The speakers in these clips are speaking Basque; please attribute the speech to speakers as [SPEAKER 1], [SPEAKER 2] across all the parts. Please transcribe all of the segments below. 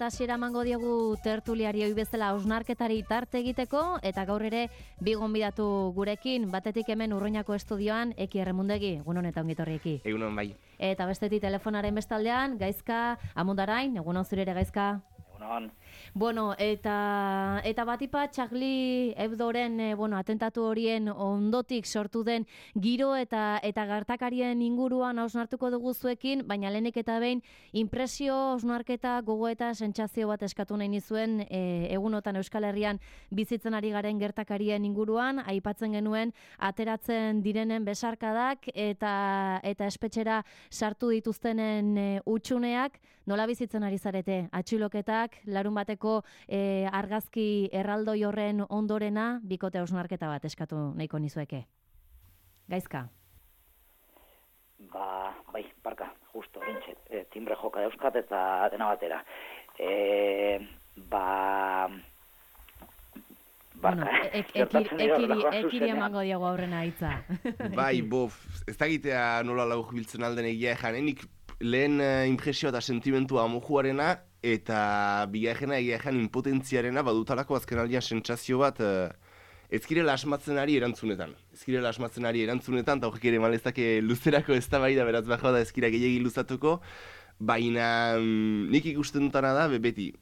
[SPEAKER 1] Hasiera emango diogu tertuliari ohi bezala hausnarketari tarte egiteko eta gaur ere bi gonbidatu gurekin, batetik hemen Urruñako estudioan Eki Erremundegi, egunon eta ongi etorri Eki.
[SPEAKER 2] Egunon bai.
[SPEAKER 1] Eta bestetik telefonaren bestaldean Gaizka Amundarain, egunon zure ere Gaizka.
[SPEAKER 3] Egunon.
[SPEAKER 1] Bueno, eta batipa Charlie Hebdoren atentatu horien ondotik sortu den giro eta gertakarien inguruan hausnartuko dugu zuekin, baina lehenik eta behin impresio, hausnarketa, gogoeta, sentsazio bat eskatu nahi nizuen egunotan Euskal Herrian bizitzen ari garen gertakarien inguruan, aipatzen genuen ateratzen direnen besarkadak eta espetxera sartu dituztenen utxuneak, nola bizitzen ari zarete? Atxiloketak, larun bateko argazki erraldoi horren ondorena, bikote hausnarketa bat eskatu nahiko nizueke. Gaizka?
[SPEAKER 3] Bai, barka, justo, bintxe, timbre joka dauzkat eta dena batera.
[SPEAKER 1] Bueno, ekiri emango diago aurrena hitza.
[SPEAKER 2] Bai, ez dakitea nola lau biltzen alden egia ejanenik, lehen impresioa eta sentimentua amojuarena, eta bigarrena egia ejan impotentziarena badutalako azken aldian sentsazio bat ezkirela asmatzen ari erantzunetan. Eta horrek ere malezake luzerako eztabaida beraz bajoa da ezkira gehiegi luzatuko, baina nik ikusten dutana da beti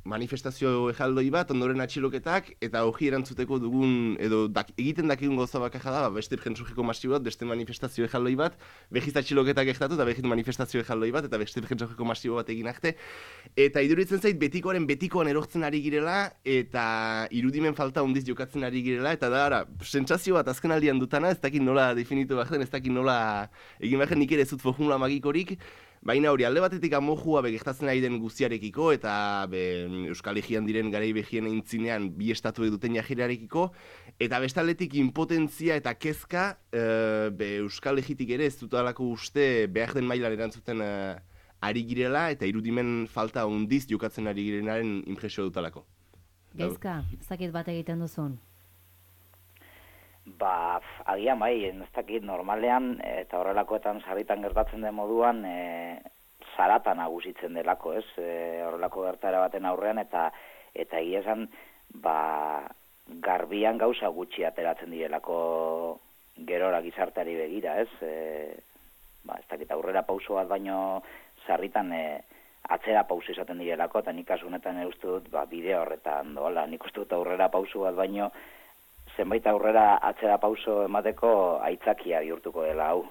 [SPEAKER 2] manifestazio ejaldoi bat, ondoren atxiloketak, eta hori erantzuteko dugun, edo egiten dakigun goza bakarra da, beste jentzujeko masibo bat, beste manifestazio ejaldoi bat, behiz atxiloketak egitatu, eta behiz manifestazio ejaldoi bat, eta beste jentzujeko masibo bat egin arte. Eta iduritzen zait, betikoan erortzen ari girela, eta irudimen falta hondiz jokatzen ari girela, eta da, sentsazio bat azken aldian dutana, ez dakit nola definitu behar den, ez dakit nola egin behar nik ere zut formula magikorik, baina hori, alde batetik amojua gertatzen ari den guztiarekiko eta Euskal Herrian diren garai behien eintzinean bi estatu duten jahirarekiko, eta bestaldetik impotentzia eta kezka Euskal Herritik ere ez dutalako uste behar den mailan erantzuten ari girela eta irudimen falta hondiz jokatzen ari girenaren impresio dutalako.
[SPEAKER 1] Gaizka, ez dakit bat egiten duzun?
[SPEAKER 3] Agian bai, ez dakit normalean eta horrelakoetan sarritan gertatzen den moduan zarata nagusitzen delako, ez? Horrelako gertaera baten aurrean eta egia esan garbian gauza gutxi ateratzen direlako gerora gizarteari begira, ez? Ez dakit aurrera pauso bat baino sarritan atzera pauso izaten direlako, eta nik kasu honetan uste dut bideo horretan doala, nik uste dut aurrera pauso bat baino zenbait aurrera atzera pauso emateko aitzakia bihurtuko dela hau.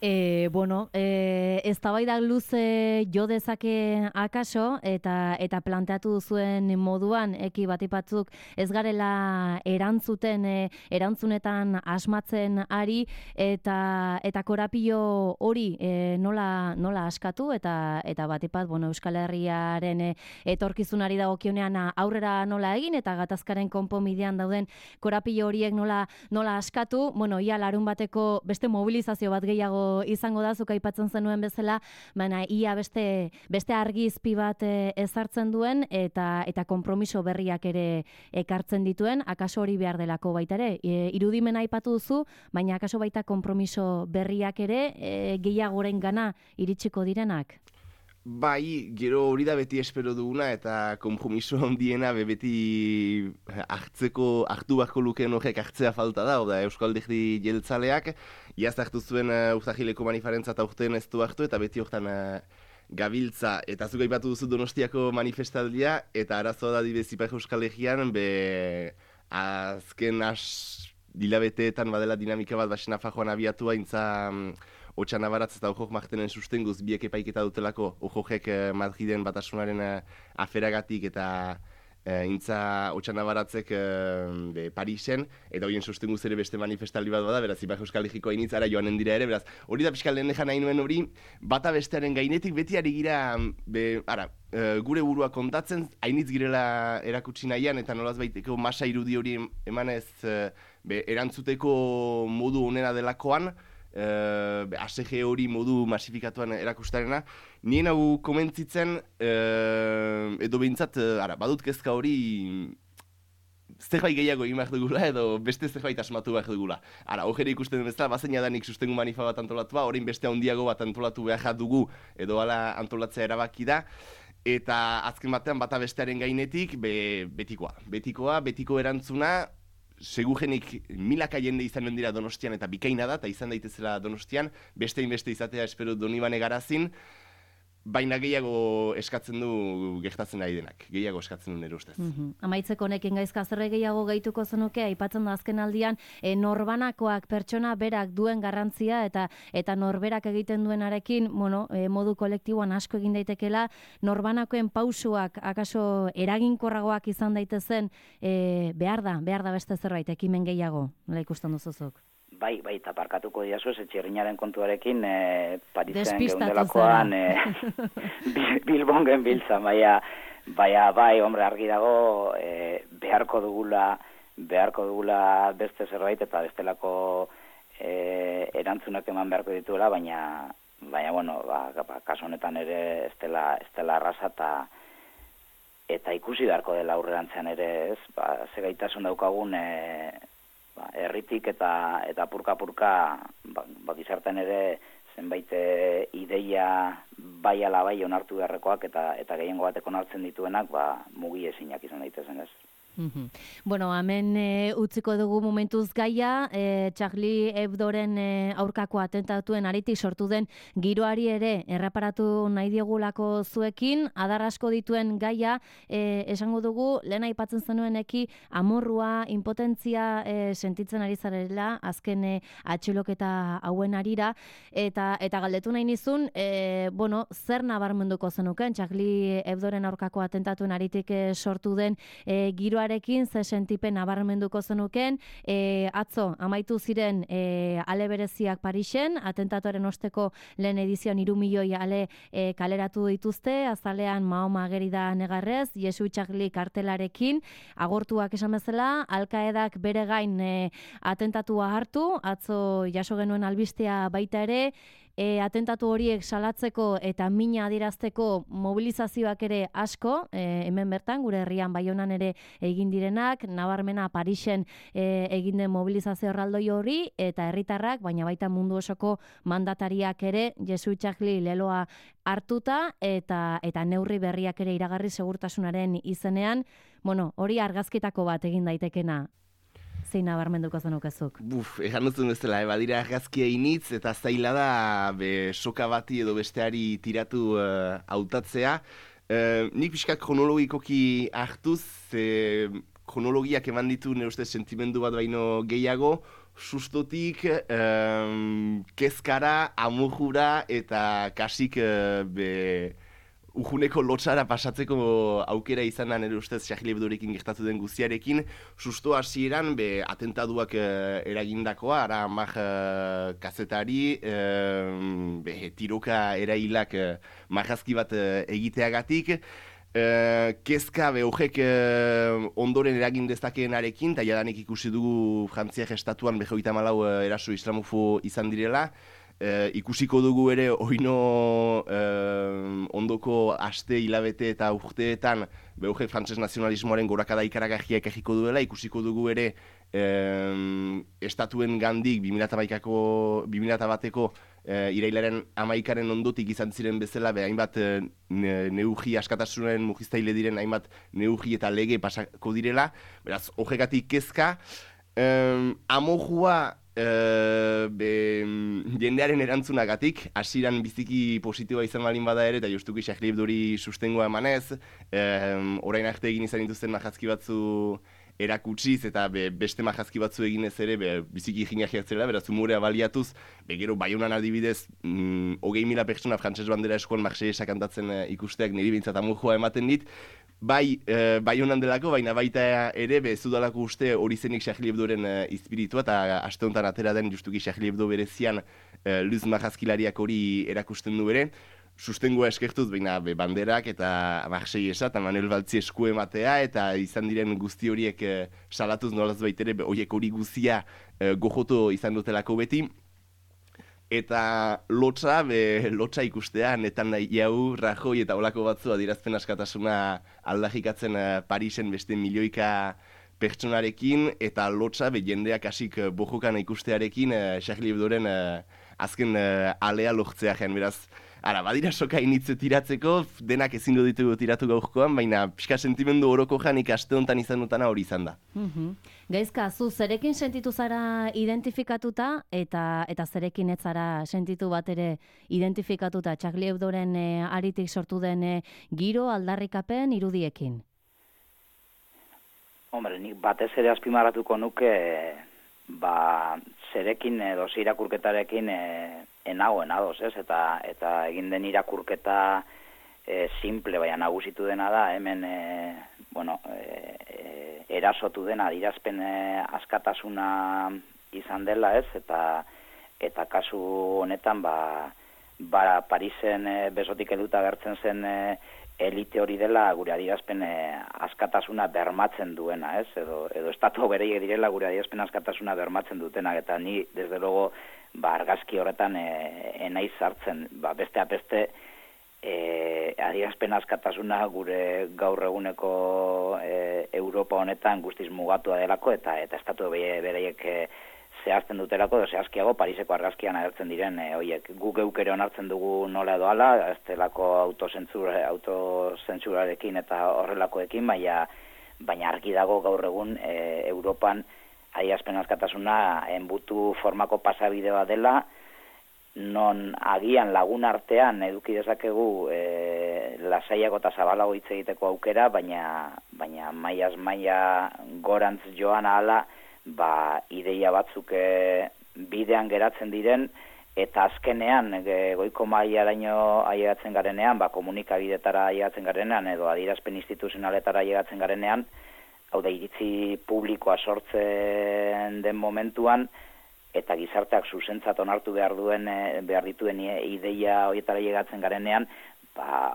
[SPEAKER 1] Eztabaida luze jo dezake akaso eta planteatu duzuen moduan Eki batipatzuk ez garela erantzunetan asmatzen ari eta korapilo hori nola askatu eta batipat Euskal Herriaren etorkizunari dagokionean aurrera nola egin eta gatazkaren konponbidean dauden korapilo horiek nola askatu, ia larun bateko beste mobilizazio bat gehiago izango da, zuk aipatzen zenuen bezala, baina ia beste argizpi bat ezartzen duen eta konpromiso berriak ere ekartzen dituen, akaso hori behar delako baita ere. Irudimen aipatu duzu, baina akaso baita konpromiso berriak ere gehiagoren gana iritsiko direnak?
[SPEAKER 2] Bai, gero hori da beti espero duguna eta konpromiso handiena beti hartu beharko lukeen horrek hartzea falta da, Euskal Alderdi jeltzaleak, iaz hartu zuen urtahileko manifarentzat aurten ez du hartu eta beti hortan gabiltza, eta zuk aipatu duzu Donostiako manifestaldia, eta arazoa da dibez Ipar Euskal Herrian, azken dilabeteetan badela dinamika bat basen afajoan abiatua, Otxana baratz eta ojok martenen sustenguz biek epaiketa dutelako ojok Madriden batasunaren aferagatik eta Otxana baratzek Parisen, eta horien sustenguz ere beste manifestaldi bat bada, beraz Ipar Euskal Herriko hainitzara joanen dira ere, beraz hori da pixka lehen nahi nuen hori, bata bestearen gainetik beti ari gira, gure burua kontatzen, hainitz girela erakutsi nahian, eta nolaz baiteko masa irudi hori emanez erantzuteko modu onena delakoan, ASG hori modu masifikatuan erakustarena, nien hau komentzitzen, edo behintzat, badut kezka hori zerbait gehiago egin behar dugula edo beste zerbait asmatu behar dugula. Ara, hor ikusten den bezala, bazeina danik sustengu manifa bat antolatua, orain beste handiago bat antolatu behar dugu edo hala antolatzea erabaki da. Eta azken batean bata bestearen gainetik betiko erantzuna, segurenik milaka jende izanen dira Donostian eta bikaina da, eta izan daitezela Donostian, beste izatea espero Donibane Garazin, baina gehiago eskatzen du gertatzen ari denak, gehiago eskatzen du nire ustez.
[SPEAKER 1] Amaitzeko honekin gaizka zerre gehiago gehituko zenuke, aipatzen da azken aldian, norbanakoak pertsona berak duen garrantzia eta norberak egiten duenarekin, modu kolektiboan asko egin daitekela, norbanakoen pausuak akaso eraginkorragoak izan daitezen, behar da beste zerbait, ekimen gehiago, nola ikusten duzuzuk?
[SPEAKER 3] Bai, eta parkatuko diazu, etxirrinaren kontuarekin, Parisen geundelakoan, Bilbon genbiltzan, bai, hombre, argi dago, beharko dugula beste zerbait, eta bestelako erantzunak eman beharko dituela, baina kasu honetan ere ez dela arrasa, eta ikusi beharko dela aurrerantzean ere, ez, ze gaitasun daukagun, herritik eta purka-purka gizartean ere zenbait ideia bai ala bai onartu beharrekoak eta gehiengo batek onartzen dituenak mugi ezinak izan daitezen, ez.
[SPEAKER 1] Hemen utziko dugu momentuz gaia, Charlie Hebdoren aurkako atentatuen aritik sortu den giroari ere erreparatu nahi diegulako zuekin, adar asko dituen gaia, esango dugu, lehen aipatzen zenueneki amorrua, impotentzia sentitzen ari zarela, azken atxiloketa hauen arira, eta galdetu nahi nizun, zer nabarmenduko zenuken, Charlie Hebdoren aurkako atentatuen aritik sortu den giroarekin, ze sentipen nabarmenduko zenuken, atzo amaitu ziren ale bereziak Parisen, atentatuaren osteko lehen edizioan 3 milioi ale kaleratu dituzte, azalean Mahoma ageri da negarrez, Jesu Charlie kartelarekin, agortuak esan bezala, Al-Qaedak bere gain atentatua hartu, atzo jaso genuen albistea baita ere, atentatu horiek salatzeko eta mina adierazteko mobilizazioak ere asko, hemen bertan, gure herrian Baionan ere egin direnak, nabarmena Parisen egin den mobilizazio erraldoi hori, eta herritarrak, baina baita mundu osoko mandatariak ere, Jesu Charlie leloa hartuta, eta neurri berriak ere iragarri segurtasunaren izenean, hori argazkitako bat egin daitekena. Zein nabarmenduko zenukezuk?
[SPEAKER 2] Egan duzun bezala, badira argazkia initz, eta zaila da soka bati edo besteari tiratu hautatzea. Nik pixkak kronologikoki hartuz, kronologiak eman ditu nire ustez sentimendu bat baino gehiago, sustotik, kezkara, amurjura eta kasik ujuneko lotsara pasatzeko aukera izan da nire ustez Charlie Hebdorekin gertatu den guztiarekin, susto hasieran atentaduak eragindakoa, ara amak kazetari, tiroka erailak marrazki bat egiteagatik, kezka horrek ondoren eragin dezakeenarekin, eta jadanik ikusi dugu Frantziak estatuan 34 eraso islamofo izan direla, ikusiko dugu ere oino ondoko aste, hilabete eta urteetan behoge frantses nazionalismoaren gorakada ikaragarria ekarriko duela, ikusiko dugu ere estatuen gandik 2001ko irailaren 11aren ondotik izan ziren bezala, hainbat neugi askatasunaren mugiztaile diren hainbat neugi eta lege pasako direla, beraz, horregatik kezka, amojua jendearen erantzunagatik, hasieran biziki positiboa izan balin bada ere, eta justuki Charlie Hebdori sustengoa emanez, orain arte egin izan dituzten marrazki batzu erakutsiz, eta beste marrazki batzu eginez ere, biziki jingajiak zela, beraz umorea baliatuz, gero Baionan adibidez, 20.000 pertsona frantses bandera eskoan Marsellesa kantatzen ikusteak niri bintzat amurjoa ematen dit, bai Baionan delako, baina baita ere, zudalako uste hori zenik Charlie Hebdoren izpiritua, eta aste honetan atera den justuki Charlie Hebdo berezian luz marrazkilariak hori erakusten du ere, sustengoa eskertuz, baina banderak eta Marsellesa eta Manuel Valtzi esku ematea, eta izan diren guzti horiek salatuz nolaz baitere, horiek hori guztia gojoto izan dutelako beti, eta lotsa ikustea, netan nahi jau, Rajoy eta olako batzu adierazpen askatasuna aldarrikatzen Parisen beste milioika pertsonarekin eta lotsa jendeak hasik bojokan ikustearekin Charlie Hebdoren azken alea lortzea jen, beraz. Ara, badira soka initze tiratzeko, denak ezingo ditugu tiratu gaurkoan, baina pixka sentimendu oroko janik aste honetan izan dutana hori izan da.
[SPEAKER 1] Gaizka, zu zerekin sentitu zara identifikatuta eta zerekin ez zara sentitu bat ere identifikatuta Charlie Hebdoren aritik sortu den giro aldarrikapen irudiekin?
[SPEAKER 3] Hombre, nik batez ere azpimarratuko nuke zerekin edo irakurketarekin enagoen ados, ez? Eta egin den irakurketa simple, baina nagusitu dena da, hemen erasotu dena adierazpen askatasuna izan dela, ez? Eta kasu honetan Parisen besotik helduta agertzen zen elite hori dela gure adierazpen askatasuna bermatzen duena, ez? Edo estatu bereiek direla gure adierazpen askatasuna bermatzen dutenak, eta ni desde luego argazki horretan enaiz sartzen, besteak beste adierazpen askatasuna gure gaur eguneko Europa honetan guztiz mugatua delako eta estatu bereiek zehazten dutelako, edo zehazkiago Pariseko argazkian agertzen diren horiek. Guk geuk ere onartzen dugu nola edo ala, ez delako autozentsurarekin eta horrelakoekin, baina argi dago gaur egun Europan adierazpen askatasuna enbutu formako pasabidea dela, non agian lagun artean eduki dezakegu lasaiago eta zabalago hitz egiteko aukera, baina mailaz maila gorantz joan ahala, ideia batzuk bidean geratzen diren, eta azkenean goiko mailaraino ailegatzen garenean, komunikabidetara ailegatzen garenean, edo adierazpen instituzionaletara ailegatzen garenean, hau da iritzi publikoa sortzen den momentuan, eta gizarteak zuzentzat onartu behar dituen ideia horietara ailegatzen garenean,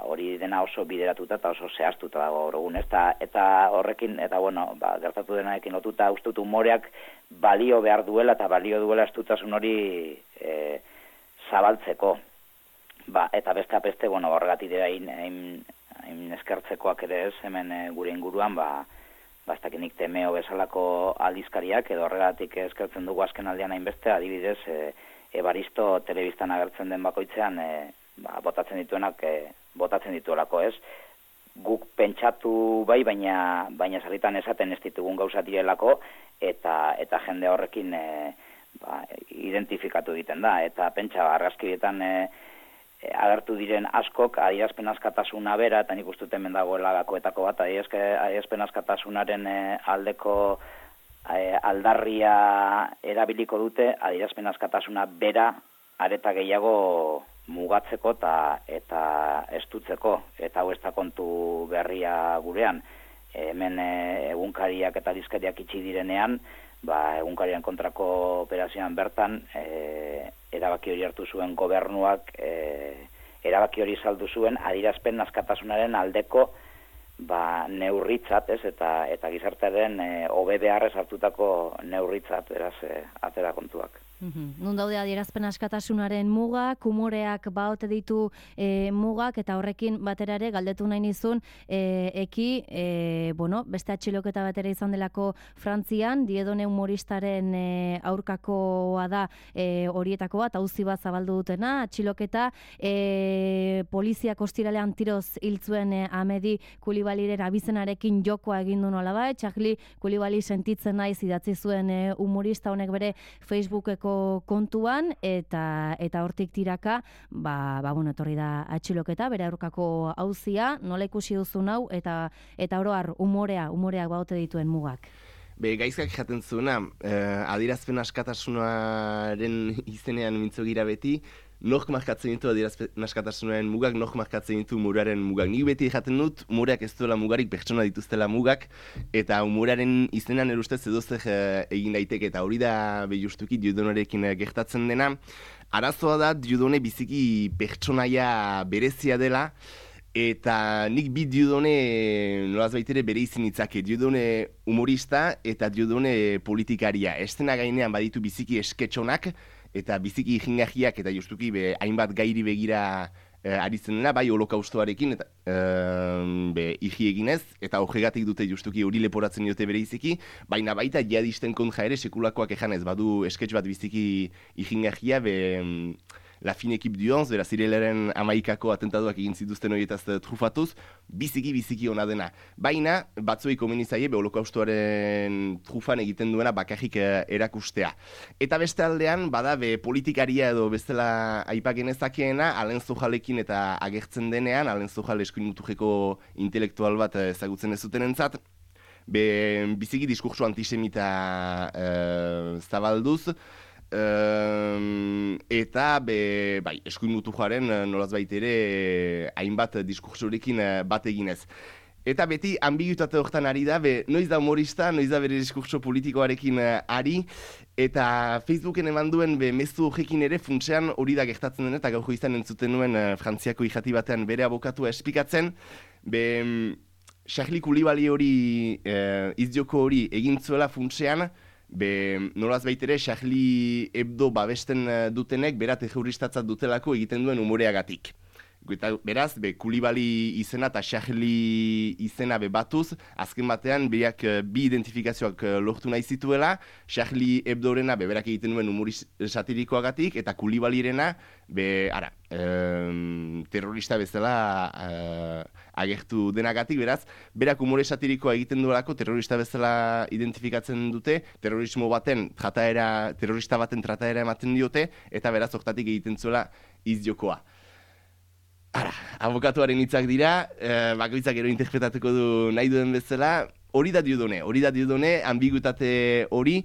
[SPEAKER 3] hori dena oso bideratuta eta oso zehaztuta dago gaur egun, eta horrekin, eta gertatu denarekin lotuta uste dut umoreak balio behar duela eta balio duela estutasun hori zabaltzeko. Eta besteak beste, horregatik dira hain eskertzekoak ere ez, hemen gure inguruan, ez dakinik Temeo bezalako aldizkariak, edo horregatik eskertzen dugu azken aldean hainbeste, adibidez, Ebaristo telebistan agertzen den bakoitzean, botatzen dituenak, botatzen dituelako, ez? Guk pentsatu baina sarritan esaten ez ditugun gauza direlako, eta jende horrekin identifikatu egiten da, eta pentsa argazkietan agertu diren askok adierazpen askatasuna bera, eta nik uste hemen dagoela gakoetako bat, adierazpen askatasunaren aldeko aldarria erabiliko dute, adierazpen askatasuna bera areta gehiago mugatzeko eta estutzeko, eta hau ez da kontu berria gurean. Hemen egunkariak eta aldizkariak itxi direnean, egunkarien kontrako operazioan bertan, erabaki hori hartu zuen gobernuak, erabaki hori saldu zuen adierazpen askatasunaren aldeko neurritzat, ez, eta gizartearen hobe beharrez hartutako neurritzat, beraz, atera kontuak.
[SPEAKER 1] Nun daude adierazpen askatasunaren mugak, umoreak baote ditu mugak, eta horrekin batera ere galdetu nahi nizun, beste atxiloketa batera izan delako Frantzian, Diedone humoristaren aurkakoa da horietako bat, auzi bat zabaldu dutena, atxiloketa, poliziak ostiralean tiroz hiltzuen Amedi Kulibaliren abizenarekin jokoa egin du nolabait, Charlie Kulibali sentitzen naiz idatzi zuen humorista honek bere Facebookeko kontuan, eta hortik tiraka, etorri da atxiloketa, bere aurkako auzia, nola ikusi duzun hau, eta oro har, umoreak baute dituen mugak.
[SPEAKER 2] Gaizkak jaten zuena, adierazpen askatasunaren izenean mintzo gira beti, nok markatzen ditu adierazpen askatasunaren mugak, nok markatzen ditu umoraren mugak. Nik beti jaten dut, umoreak ez duela mugarik, pertsona dituztela mugak, eta umoraren izenean erustez edozer egin daiteke, eta hori da justuki Dieudonnerekin gertatzen dena. Arazoa da, Dieudonne biziki pertsonaia berezia dela, eta nik bi Dieudonne nolaz baitere bere izin itzake, Dieudonne humorista eta Dieudonne politikaria. Estena gainean baditu biziki esketxonak, eta biziki jingajiak eta justuki hainbat gairi begira aritzen dena, bai holokaustoarekin, eta iji eginez, eta horregatik dute justuki hori leporatzen diote bere iziki, baina baita jihadisten kontra ere sekulakoak ejanez, badu sketch bat biziki ijingarria, La Fine Équipe du 11, beraz irelaren 11ko atentatuak egin zituzten horietaz trufatuz, biziki ona dena. Baina, batzuei komeni zaie, holokaustoaren trufan egiten duena bakarrik erakustea. Eta beste aldean, bada, politikaria edo bestela aipagenezakeena, Alen Zojalekin eta agertzen denean, Alen Zojal eskuin muturreko intelektual bat ezagutzen ez zuten entzat, biziki diskurso antisemita zabalduz, eta eskuin muturraren nolaz ere hainbat diskursorekin bat eginez. Eta beti ambiguitate horretan ari da, noiz da humorista, noiz da bere diskurso politikoarekin ari, eta Facebooken eman duen mezu horrekin ere funtsean hori da gertatzen den, eta gaurko izan entzuten nuen Frantziako irrati batean bere abokatua esplikatzen, Charlie Koulibaly hori, izdioko hori egin zuela funtsean, nolaz baitere Charlie Hebdo babesten dutenek bera terroristatzat dutelako egiten duen umoreagatik. Beraz, Koulibaly izena eta Charlie izena batuz, azken batean biak bi identifikazioak lortu nahi zituela, Charlie Hebdorena berak egiten duen humori satirikoagatik, eta Koulibalyrena terrorista bezala agertu denagatik, beraz, berak humore satirikoa egiten duelako terrorista bezala identifikatzen dute, terrorismo baten terrorista baten trataera ematen diote, eta beraz, hortatik egiten zuela izjokoa. Abokatuaren hitzak dira, bakoitzak gero interpretatuko du nahi duen bezala, hori da Dieudonne, ambiguitate hori,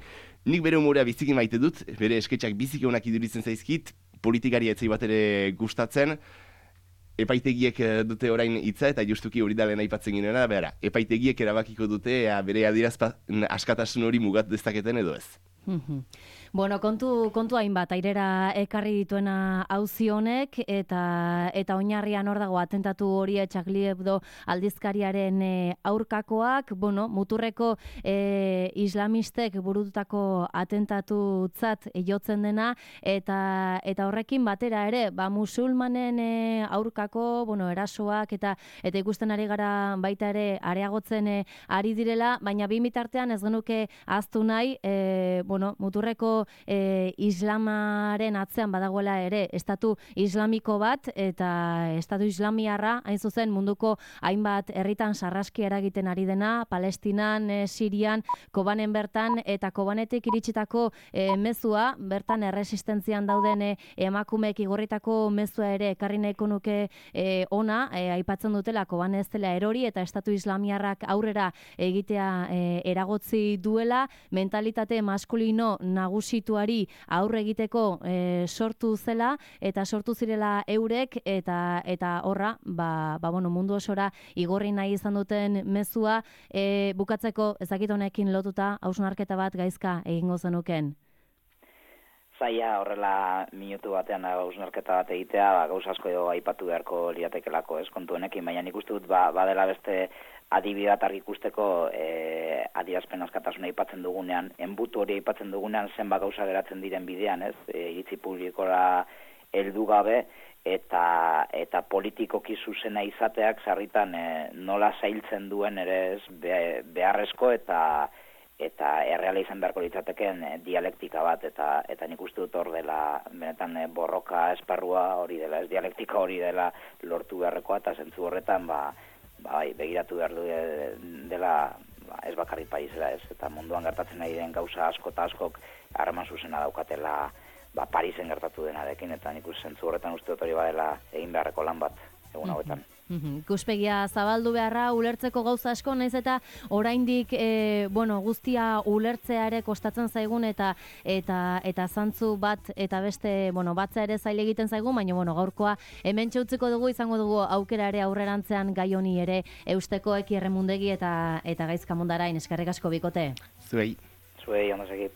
[SPEAKER 2] nik bere humorea biziki maite dut, bere sketxak biziki onak iduritzen zaizkit, politikari etzai bat ere gustatzen, epaitegiek dute orain hitza, eta justuki hori da lehen aipatzen ginena, epaitegiek erabakiko dute bere adierazpen askatasun hori mugat dezaketen edo ez.
[SPEAKER 1] Bueno, kontu hainbat airera ekarri dituena auzi honek eta oinarrian hor dago atentatu hori Charlie Hebdo aldizkariaren aurkakoak, muturreko islamistek burututako atentatutzat jotzen dena eta horrekin batera ere, musulmanen aurkako, erasoak eta ikusten ari gara baita ere areagotzen ari direla, baina bi bitartean ez genuke ahaztu nahi, muturreko islamaren atzean badagoela ere estatu islamiko bat eta estatu islamiarra hain zuzen munduko hainbat herritan sarraski eragiten ari dena, Palestinan, Sirian, Kobanen bertan eta Kobanetik iritsitako mezua, bertan erresistentzian dauden emakumeek igorritako mezua ere ekarri nahiko nuke ona, aipatzen dutela Koban ez dela erori eta estatu islamiarrak aurrera egitea eragotzi duela, mentalitate maskulino nagusituari aurre egiteko sortu zela eta sortu zirela eurek eta horra mundu osora igorri nahi izan duten mezua bukatzeko ezakit honekin lotuta hausnarketa bat gaizka egingo zenuken.
[SPEAKER 3] Zaila horrela minutu batean hausnarketa bat egitea, gauza asko edo aipatu beharko liatekelako, kontu honekin, baina nik uste dut badela beste adibidat argi ikusteko adierazpen askatasuna aipatzen dugunean, enbutu hori aipatzen dugunean zenbat gauza geratzen diren bidean, iritzi publikora heldu gabe eta politikoki zuzena izateak sarritan nola zailtzen duen ere beharrezko eta erreala izan beharko litzateken dialektika bat eta nik uste dut hor dela benetan borroka esparrua hori dela, dialektika hori dela lortu beharrekoa eta zentzu horretan begiratu behar dela ez bakarrik Parisera eta munduan gertatzen nahi den gauza asko eta askok harreman zuzena daukatela Parisen gertatu denarekin eta nik zentzu horretan uste dut hori badela egin beharreko lan bat egun hauetan.
[SPEAKER 1] Ikuspegia zabaldu beharra, ulertzeko gauza asko, naiz eta oraindik guztia ulertzea ere kostatzen zaigun eta zantzu bat eta beste batzea ere zaile egiten zaigun, baina gaurkoa hemen txutziko dugu, izango dugu aukera ere aurrerantzean gai honi ere eusteko Eki Erremundegi eta Gaizka Mundarain. Eskerrik asko bikote.
[SPEAKER 2] Zuei,
[SPEAKER 3] ondo segi.